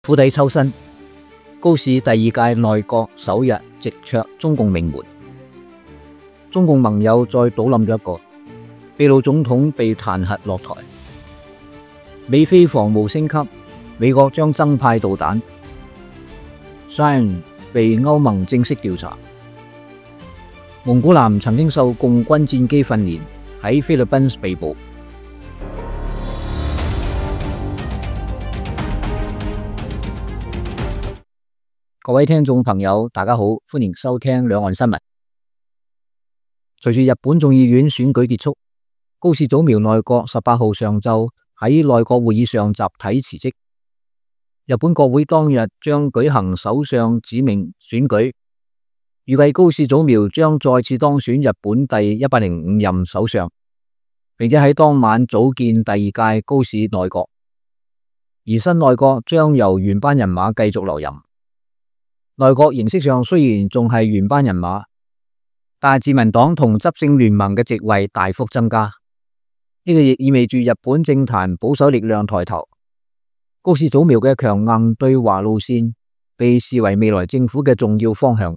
釜底抽薪，高市第二屆內閣首日直戳中共命門，中共盟友再倒冧咗一個，秘魯總統被彈劾落台，美菲防務升級，美國將增派導彈，China被歐盟正式調查，蒙古男曾經受共軍戰機訓練，喺菲律賓被捕。各位聽眾朋友，大家好，歡迎收聽兩岸新聞。隨住日本眾議院選舉結束，高市早苗內閣18號上晝喺內閣會議上集體辭職。日本國會當日將舉行首相指名選舉，預計高市早苗將再次當選日本第105任首相，並且喺當晚組建第二屆高市內閣，而新內閣將由原班人馬繼續留任。內閣形式上雖然仲係原班人馬，但係自民黨同執政聯盟嘅席位大幅增加，呢個亦意味住日本政壇保守力量抬頭。高市早苗嘅強硬對華路線被視為未來政府嘅重要方向。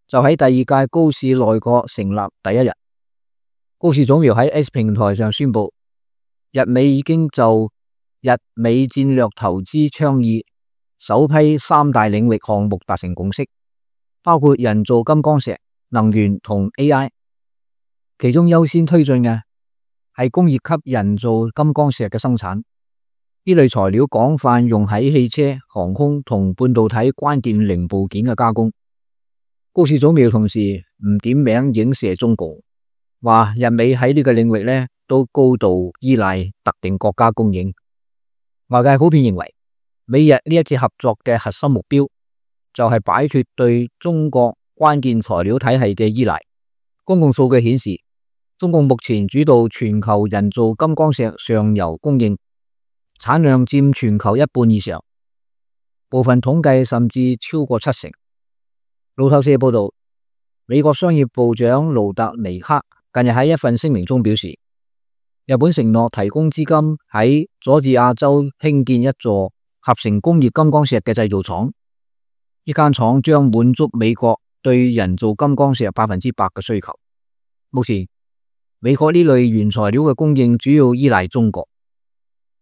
就喺第二屆高市內閣成立第一日，高市早苗喺 X 平台上宣布，日美已經就日美戰略投資倡議首批3大領域項目達成共識，包括人造金剛石、能源同 AI。其中優先推進嘅係工業級人造金剛石嘅生產，呢類材料廣泛用喺汽車、航空同半導體關鍵零部件嘅加工。高市早苗同時唔點名影射中共，話日美喺呢個領域呢都高度依賴特定國家供應。外界普遍認為，美日呢一次合作嘅核心目標就係擺脫對中國關鍵材料體系嘅依賴。公共數據顯示，中共目前主導全球人造金剛石上游供應，產量佔全球一半以上，部分統計甚至超過70%。路透社報道，美國商業部長盧特尼克近日喺一份聲明中表示，日本承諾提供資金喺佐治亞州興建一座合成工業金剛石嘅製造廠，呢間廠將滿足美國對人造金剛石100%嘅需求。目前，美國呢類原材料嘅供應主要依賴中國。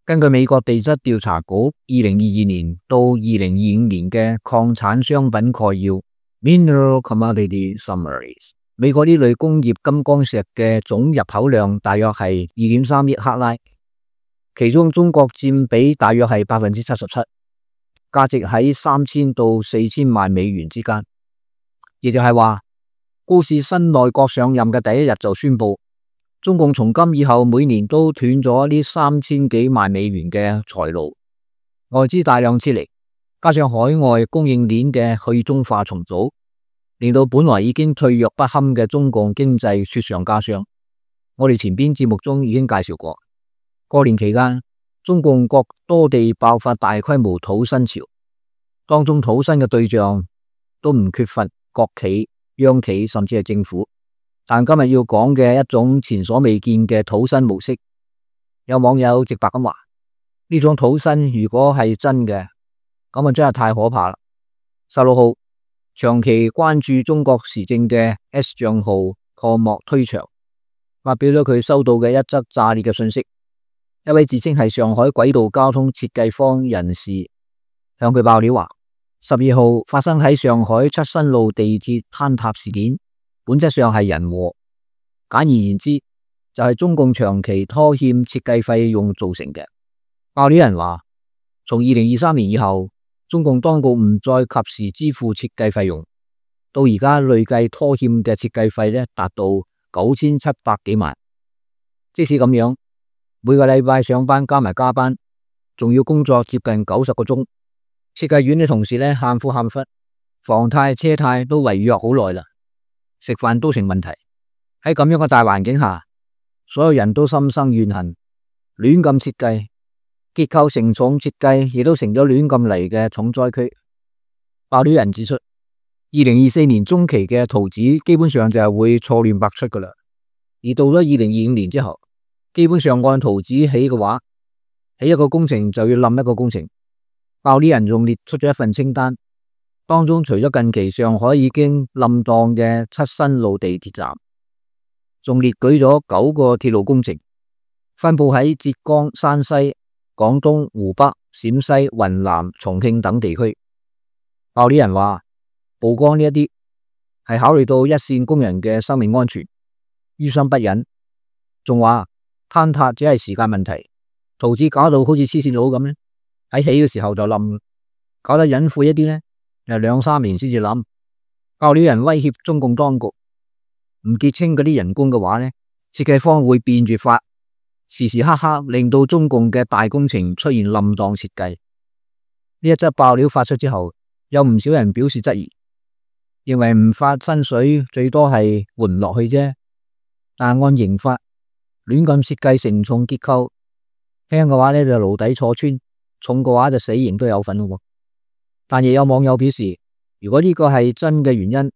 根據美國地質調查局2022年到2025年嘅礦產商品概要 Mineral Commodity Summaries， 美國呢類工業金剛石嘅總入口量大約係2.3億克拉。其中中國佔比大約係77%，價值喺3000到4000萬美元之間。亦就係話，高市新內閣上任嘅第一日就宣布，中共從今以後每年都斷咗呢3000幾萬美元嘅財路，外資大量撤離，加上海外供應鏈嘅去中化重組，令到本來已經脆弱不堪嘅中共經濟雪上加霜。我哋前邊節目中已經介紹過。過年期間，中共各多地爆發大規模土薪潮，當中土薪嘅對象都唔缺乏國企、央企甚至係政府。但今日要講嘅一種前所未見嘅土薪模式，有網友直白咁話：呢種土薪如果係真嘅，咁啊真係太可怕啦。16號，長期關注中國時政嘅 S 賬號破幕推牆，發表咗佢收到嘅一則炸裂嘅信息。一位自稱係上海軌道交通設計方人士向佢爆料話，12號發生喺上海出新路地鐵坍塌事件，本質上係人禍。簡而言之，就係中共長期拖欠設計費用造成嘅。爆料人話，從2023年以後，中共當局唔再及時支付設計費用，到而家累計拖欠嘅設計費呢達到9700幾萬。即使咁樣，每個禮拜上班加埋加班，仲要工作接近90個鐘。設計院嘅同事呢喊苦喊忽，房貸車貸都違約好耐啦，食飯都成問題。喺咁樣嘅大環境下，所有人都心生怨恨，亂咁設計，結構承重設計亦都成咗亂咁嚟嘅重災區。爆料人指出，2024年中期嘅圖紙基本上就係會錯亂百出噶啦，而到咗2025年之後，基本上按圖紙起嘅話，起一個工程就要冧一個工程，鮑里人仲列出咗一份清單，當中除咗近期上海已經冧檔嘅七新路地鐵站，仲列舉咗9個鐵路工程，分布喺浙江、山西、廣東、湖北、陝西、雲南、重慶等地區。鮑里人話曝光呢一啲係考慮到一線工人嘅生命安全，於心不忍，仲話坍塌只係時間問題，圖紙搞到好似黐線佬咁咧，喺起嘅時候就冧，搞得隱晦一啲呢，又2、3年先至冧。鮑里人威脅中共當局，唔結清嗰啲人工嘅話呢，設計方會變住法，時時刻刻令到中共嘅大工程出現冧檔設計。呢一則爆料發出之後，有唔少人表示質疑，認為唔發薪水最多係緩唔落去啫，但按刑法亂咁設計承重結構，輕嘅話呢就牢底坐穿，重嘅話就死刑都有份喎。但亦有網友表示，如果呢個係真嘅原因，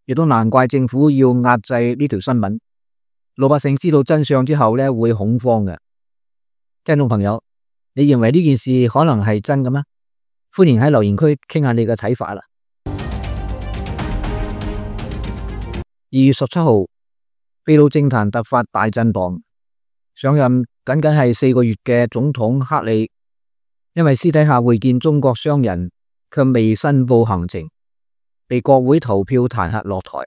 亦都難怪政府要壓制呢條新聞。老百姓知道真相之後呢會恐慌嘅。聽眾朋友，你認為呢件事可能係真嘅咩？歡迎喺留言區傾下你嘅睇法啦。2月17號，秘魯政壇突發大震盪，上任僅僅係4個月嘅總統克里，因為私底下會見中國商人卻未申報行程，被國會投票彈劾落台。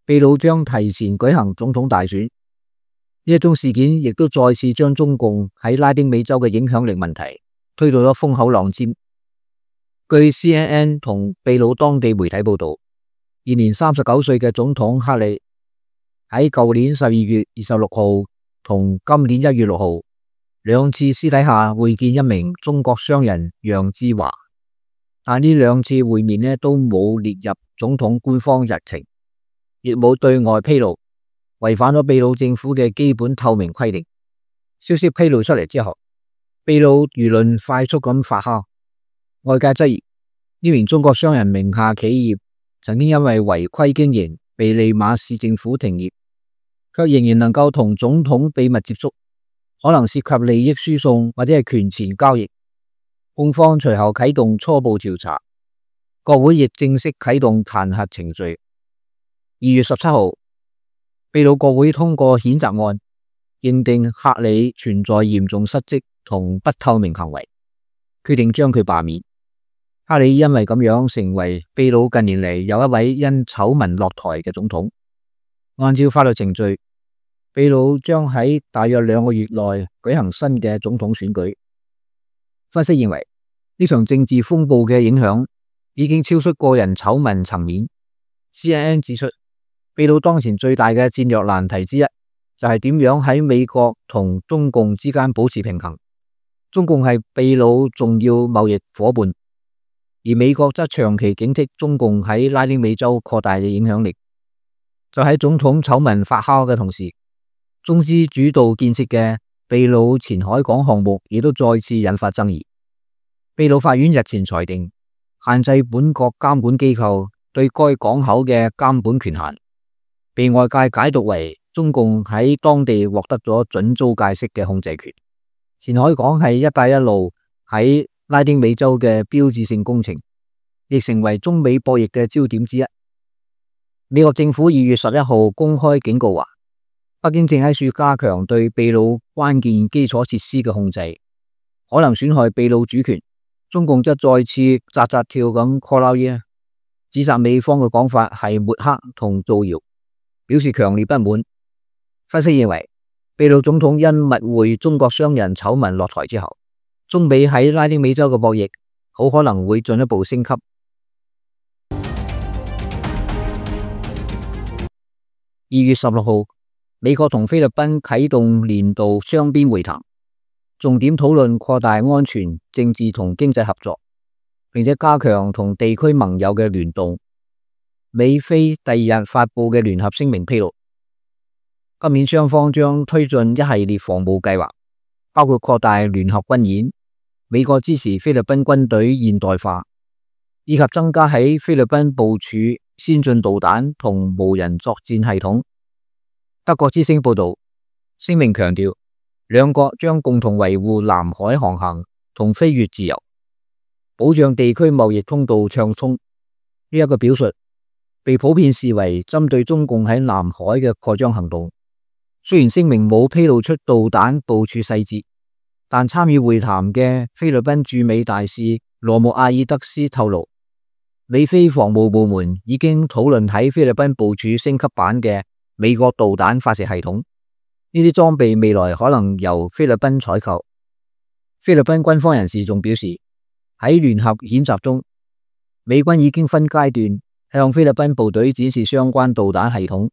秘魯將提前舉行總統大選，呢一宗事件亦都再次將中共喺拉丁美洲嘅影響力問題推到咗風口浪尖。據 CNN 同秘魯當地媒體報道，現年39歲嘅總統克里喺舊年12月26號同今年1月6號兩次私底下會見一名中國商人楊志華，但呢兩次會面呢都冇列入總統官方日程，亦冇對外披露，違反咗秘魯政府嘅基本透明規定。消息披露出嚟之後，秘魯輿論快速咁發酵，外界質疑呢名中國商人名下企業曾經因為違規經營被利馬市政府停業，卻仍然能夠同總統秘密接觸，可能涉及利益輸送或者係權錢交易。控方隨後啟動初步調查，國會亦正式啟動彈劾程序。2月17號，秘魯國會通過譴責案，認定克里存在嚴重失職同不透明行為，決定將佢罷免。克里因為咁樣成為秘魯近年嚟又一位因醜聞落台嘅總統。按照法律程序，秘魯將喺大約2個月內舉行新嘅總統選舉。分析認為，呢場政治風暴嘅影響已經超出個人醜聞層面。CNN 指出，秘魯當前最大嘅戰略難題之一就係點樣喺美國同中共之間保持平衡。中共係秘魯重要貿易夥伴，而美國則長期警惕中共喺拉丁美洲擴大嘅影響力。就喺總統醜聞發酵嘅同時，中資主導建設嘅秘魯前海港項目亦都再次引發爭議。秘魯法院日前裁定，限制本國監管機構對該港口嘅監管權限，被外界解讀為中共喺當地獲得咗準租界式嘅控制權。前海港係一帶一路喺拉丁美洲嘅標誌性工程，亦成為中美博弈嘅焦點之一。美國政府2月11號公開警告話，北京正喺處加強對秘魯關鍵基礎設施嘅控制，可能損害秘魯主權。中共則再次扎扎跳咁 call out 嘢，指責美方嘅講法係抹黑同造謠，表示強烈不滿。分析認為，秘魯總統因密會中國商人醜聞落台之後，中美喺拉丁美洲嘅博弈好可能會進一步升級。2月16號，美國同菲律賓啟動年度雙邊會談，重點討論擴大安全、政治同經濟合作，並且加強同地區盟友嘅聯動。美菲第2日發布嘅聯合聲明披露，今年雙方將推進一系列防務計劃，包括擴大聯合軍演、美國支持菲律賓軍隊現代化，以及增加喺菲律賓部署先進導彈同無人作戰系統。德國之聲報道，聲明強調，兩國將共同維護南海航行同飛越自由，保障地區貿易通道暢通。呢一個表述被普遍視為針對中共喺南海嘅擴張行動。雖然聲明冇披露出導彈部署細節，但參與會談嘅菲律賓駐美大使羅姆阿爾德斯透露，美菲防務部門已經討論喺菲律賓部署升級版嘅美國導彈發射系統。呢啲裝備未來可能由菲律賓採購。菲律賓軍方人士仲表示，喺聯合演習中，美軍已經分階段向菲律賓部隊展示相關導彈系統，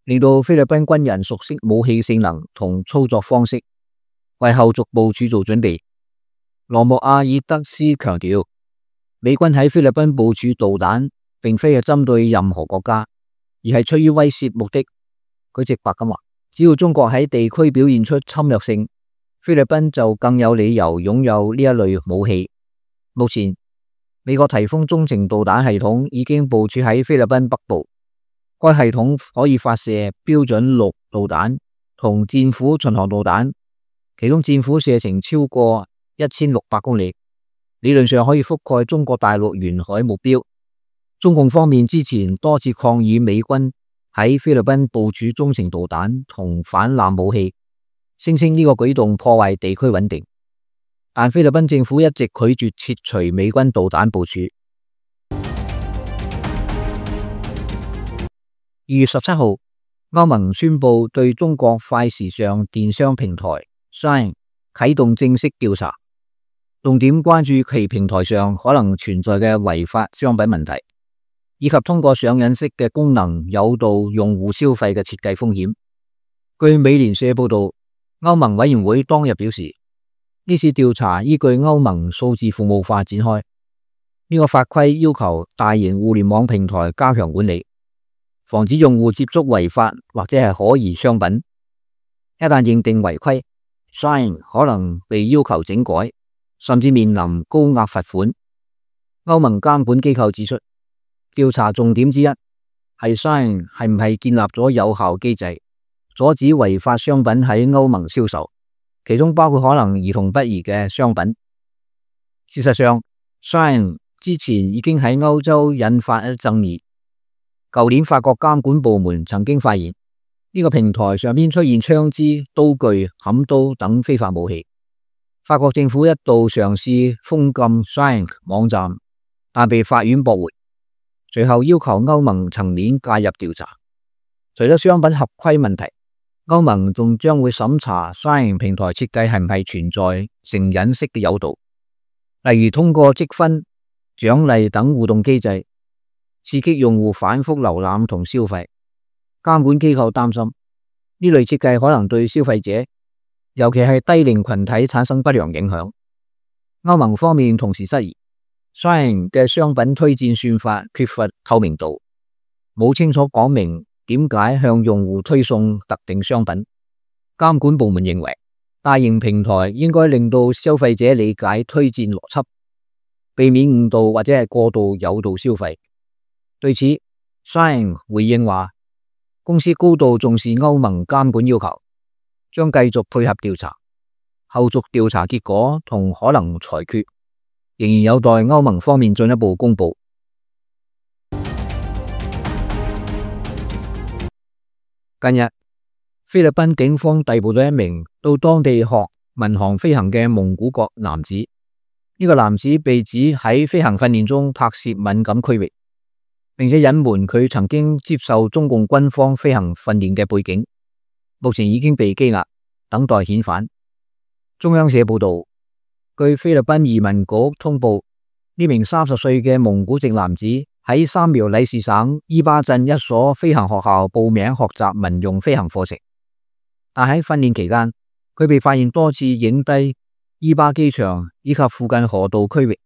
令到菲律賓軍人熟悉武器性能同操作方式，為後續部署做準備。羅姆阿爾德斯強調，美軍喺菲律賓部署導彈並非係針對任何國家，而係出於威懾目的。佢直白咁話，只要中國喺地區表現出侵略性，菲律賓就更有理由擁有呢一類武器。目前，美國提豐中程導彈系統已經部署喺菲律賓北部，該系統可以發射標準6導彈同戰斧巡航導彈，其中戰斧射程超過1600公里，理論上可以覆蓋中國大陸沿海目標。中共方面之前多次抗議美軍喺菲律賓部署中程導彈同反艦武器，聲稱呢個舉動破壞地區穩定，但菲律賓政府一直拒絕撤除美軍導彈部署。2月17號，歐盟宣布對中國快時尚電商平台 Shine 啟動正式調查，重點關注其平台上可能存在嘅違法商品問題，以及通過上癮式嘅功能誘導用戶消費嘅設計風險。據美聯社報道，歐盟委員會當日表示，呢次調查依據歐盟數字服務法展開。呢個法規要求大型互聯網平台加強管理，防止用戶接觸違法或者係可疑商品。一旦認定違規， Shine 可能被要求整改，甚至面臨高額罰款。歐盟監管機構指出，調查重點之一係 Shine 係唔係建立咗有效機制，阻止違法商品喺歐盟銷售，其中包括可能兒童不宜嘅商品。事實上， Shine 之前已經喺歐洲引發爭議。舊年法國監管部門曾經發現呢個平台上面出現槍支、刀具、砍刀等非法武器。法國政府一度嘗試封禁 Shine 網站，但被法院駁回，隨後要求歐盟層面介入調查。除咗商品合規問題，歐盟仲將會審查 Shine 平台設計係唔係存在成癮式嘅誘導，例如通過積分、獎勵等互動機制，刺激用戶反覆瀏覽同消費。監管機構擔心呢類設計可能對消費者，尤其係低齡群體產生不良影響。歐盟方面同時質疑 Shine 嘅商品推薦算法缺乏透明度，冇清楚講明點解向用戶推送特定商品。監管部門認為，大型平台應該令到消費者理解推薦邏輯，避免誤導或者係過度誘導消費。對此， Shine 回應話，公司高度重視歐盟監管要求，將繼續配合調查，後續調查結果同可能裁決仍然有待歐盟方面進一步公布。近日，菲律賓警方逮捕咗一名到當地學民航飛行嘅蒙古國男子。呢個男子被指喺飛行訓練中拍攝敏感區域，並且隱瞞佢曾經接受中共軍方飛行訓練嘅背景，目前已經被羈押，等待遣返。中央社報道，據菲律賓移民局通報，呢名30歲嘅蒙古籍男子喺三苗里士省伊巴鎮一所飛行學校報名學習民用飛行課程，但喺訓練期間，佢被發現多次影低伊巴機場以及附近河道區域，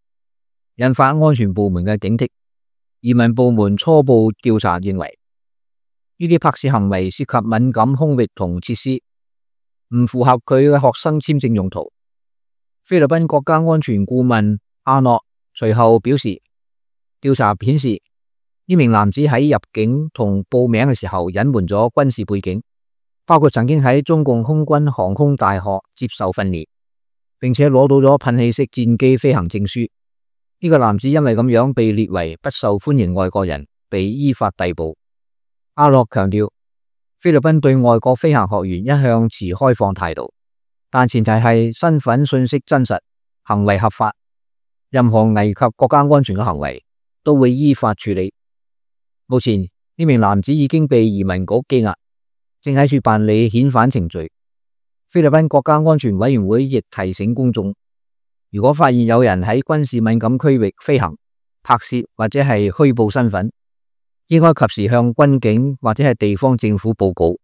引發安全部門嘅警惕。移民部門初步調查認為，呢啲拍攝行為涉及敏感空域同設施，唔符合佢嘅學生簽證用途。菲律賓國家安全顧問阿諾隨後表示，調查顯示呢名男子喺入境同報名嘅時候隱瞞咗軍事背景，包括曾經喺中共空軍航空大學接受訓練，並且攞到咗噴氣式戰機飛行證書。呢個男子因為咁樣被列為不受歡迎外國人，被依法逮捕。阿洛強調，菲律賓對外國飛行學員一向持開放態度，但前提係身份信息真實，行為合法，任何危及國家安全嘅行為都會依法處理。目前呢名男子已經被移民局羈押，正喺處辦理遣返程序。菲律賓國家安全委員會亦提醒公眾，如果發現有人喺軍事敏感區域飛行、拍攝或者係虛報身份，應該及時向軍警或者係地方政府報告。